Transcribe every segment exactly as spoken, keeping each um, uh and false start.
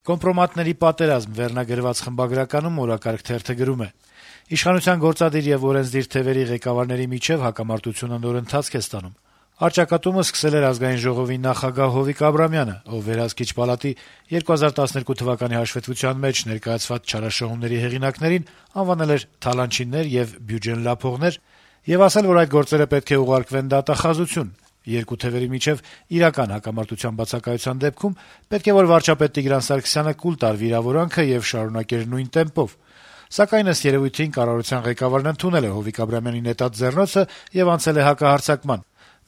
«Կոմպրոմատների պատերազմ» վերնագրված խմբագրականում օրակարգ թերթը գրում է. - «Իշխանության գործադիր եւ օրենսդիր թեւերի ղեկավարների միջեւ հակամարտությունը նոր ընթացք է ստանում: Առճակատումը սկսել էր Ազգային ժողովի նախագահ Հովիկ Աբրամյանը, ով Վերահսկիչ պալատի երկու հազար տասներկու թվականի հաշվետվության մեջ ներկայացված չարաշահումների հեղինակներին անվանել էր թալանչիներ եւ բյուջեն լափողներ եւ ասել, որ այդ գործերը պետք է ուղարկվեն դատախազություն: Երկու թեւերի միջեւ իրական հակամարտության բացակայության դեպքում պետք է որ վարչապետ Տիգրան Սարգսյանը կուլ տար վիրավորանքը եւ շարունակեր նույն տեմպով: Սակայն ըստ երեւույթին կառավարության ղեկավարն ընդունել է Հովիկ Աբրամյանի նետած ձեռնոցը եւ անցել է հակահարձակման: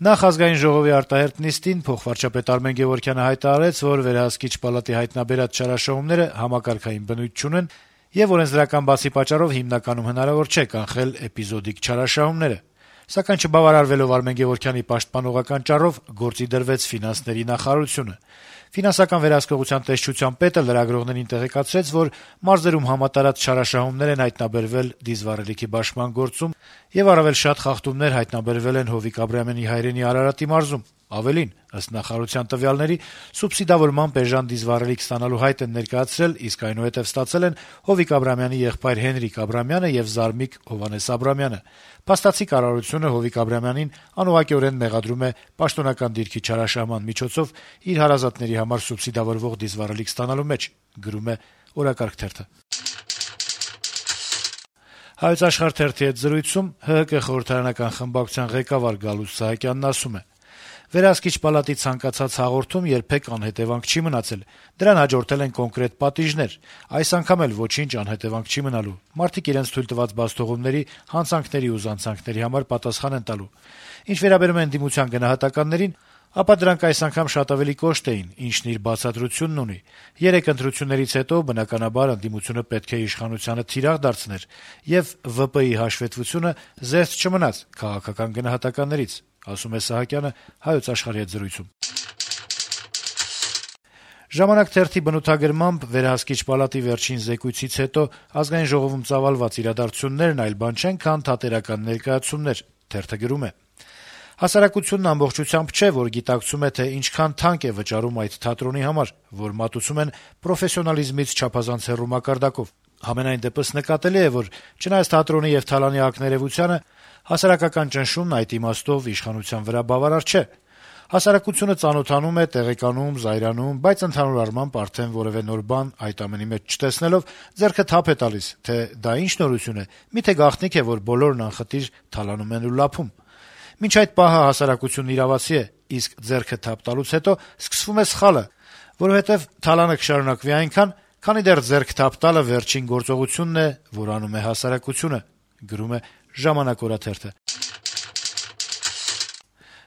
Նախ Ազգային ժողովի արտահերթ նիստին փոխվարչապետ Արմեն Գեւորգյանը հայտարարեց, որ Վերահսկիչ պալատի հայտնաբերած չարաշահումները համակարգային բնույթ չունեն եւ օրենսդրական բացի պատճառով հիմնականում հնարավոր չէ կանխել էպիզոդիկ չարաշահումները: Սակայն չբավարարվելով Արմեն Գեւորգյանի պաշտպանողական ճառով գործի դրվեց ֆինանսների նախարարությունը: Ֆինանսական վերահսկողության տեսչության պետը լրագրողներին տեղեկացրեց, որ մարզերում համատարած չարաշահումներ են հայտնաբերվել դիզվառելիքի բաշխման գործում եւ առավել շատ խախտումներ հայտնաբերվել են Հովիկ Աբրամյանի հայրենի Արարատի մարզում: Ավելին, ըստ նախարարության տվյալների, սուբսիդավորմամբ էժան դիզվառելիք ստանալու հայտ են ներկայացրել, իսկ այնուհետեւ ստացել են Հովիկ Աբրամյանի եղբայր Հենրիկ Աբրամյանը եւ զարմիկ Հովհաննես Աբրամյանը: Փաստացի կառավարությունը Հովիկ Աբրամյանին անուղղակիորեն մեղադրում է պաշտոնական դիրքի չարաշահման միջոցով իր հարազատների համար սուբսիդավորվող դիզվառելիք ստանալու մեջ»: «Հայոց Աշխարհ» թերթի հետ զրույցում ՀՀԿ խորհրդարանական խմբակցության ղեկավար Գալուստ Սահակյանն ասում է. - «Վերահսկիչ պալատի ցանկացած հաղորդում երբեք անհետեւանք չի մնացել: Դրան հաջորդել են կոնկրետ պատիժներ: Այս անգամ էլ ոչինչ անհետեւանք չի մնալու: Մարդիկ իրենց թույլ տված բացթողումների, հանցանքների ու զանցանքների համար պատասխան են տալու: Ինչ վերաբերում է ընդդիմության գնահատականներին, ապա դրանք այս անգամ շատ ավելի կոշտ էին, ինչն իր բացատրությունն ունի: Երեք ընտրություններից հետո, բնականաբար, ընդդիմությունը պետք է իշխանությանը թիրախ դարձներ, եւ ՎՊԻ հաշվետվությունը զերծ չմնաց քաղաքական գնահատականներից»: «Ժամանակ» թերթի բնութագրմամբ Վերահսկիչ պալատի վերջին զեկույցից հետո Ազգային ժողովում ծավալված իրադարձություններն այլ բան չեն, քան թատերական ներկայացումներ: Թերթը գրում է. - «Հասարակությունն ամբողջությամբ չէ, որ գիտակցում է, թե ինչքան թանկ է վճարում այդ թատրոնի համար, որ մատուցում են պրոֆեսիոնալիզմից չափազանց հեռու մակարդակով: Համենայն դեպս նկատելի է, որ չնայած թատրոնի եւ թալանի ակներեւությանը, հասարակական ճնշումն այդ իմաստով իշխանության վրա բավարար չէ: Հասարակությունը ծանոթանում է, տեղեկանում, զայրանում, բայց ընդհանուր առմամբ արդեն որեւէ նոր բան այդ ամենի մեջ չտեսնելով, ձեռքը թափ է տալիս, թե դա ինչ նորություն է, միթե գաղտնիք է, որ բոլորն անխտիր թալանում են ու լափում: Մինչ այդ պահը հասարակությունն իրավացի է, իսկ ձեռքը թափ տալուց հետո սկսվում է սխալը, որովհետեւ թալանը կշարունակվի այնքան, քանի դեռ ձեռք թափ տալը վերջին գործողությունն է, որ անում է հասարակությունը»: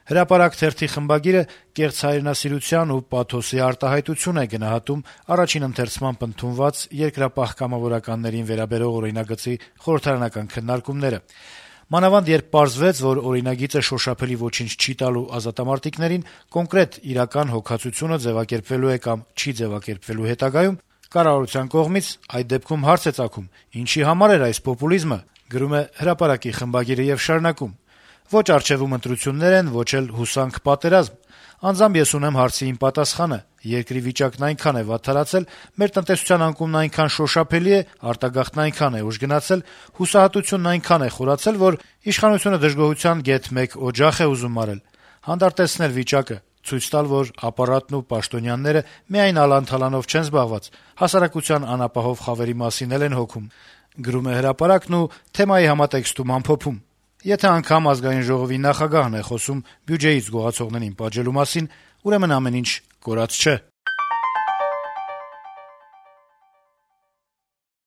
«Հրապարակ» թերթի խմբագիրը կեղծ հայրենասիրության ու պաթոսի արտահայտություն է գնահատում առաջին ընթերցմամբ ընդունված երկրապահ կամավորականներին վերաբերող օրինագծի խորհրդարանական քննարկումները: Մանավանդ երբ պարզվեց, որ օրինագիծը շոշափելի ոչինչ չի տալու ազատամարտիկներին, կոնկրետ իրական հոգացությունը ձեւակերպվելու է կամ չի ձեւակերպվելու հետագայում, կառավարության կողմից այդ դեպքում հարց է ծագում` ինչի համար էր այս պոպուլիզմը: Ոչ առջեւում ընտրություններ են, ոչ էլ հուսանք պատերազմ: Անձամբ ես ունեմ հարցի իմ պատասխանը: Երկրի վիճակն այնքան է վատթարացել, մեր տնտեսության անկումն այնքան շոշափելի է, արտագաղթն այնքան է ուժ գնացել, հուսահատությունն այնքան է խորացել, որ իշխանությունը դժգոհության գեթ մեկ օջախ է ուզում մարել: Հանդարտեցնել վիճակը, ցույց տալ, որ ապարատն ու պաշտոնյաները միայն ալան-թալանով չեն զբաղված, հասարակության անապահով խավերի մասին էլ են հոգում»: Թերթը թեմայի համատեքստում ամփոփում. - «Եթե անգամ Ազգային ժողովի նախագահն է խոսում բյուջեից գողացողներին պատժելու մասին, ուրեմն ամեն ինչ կորած չէ»: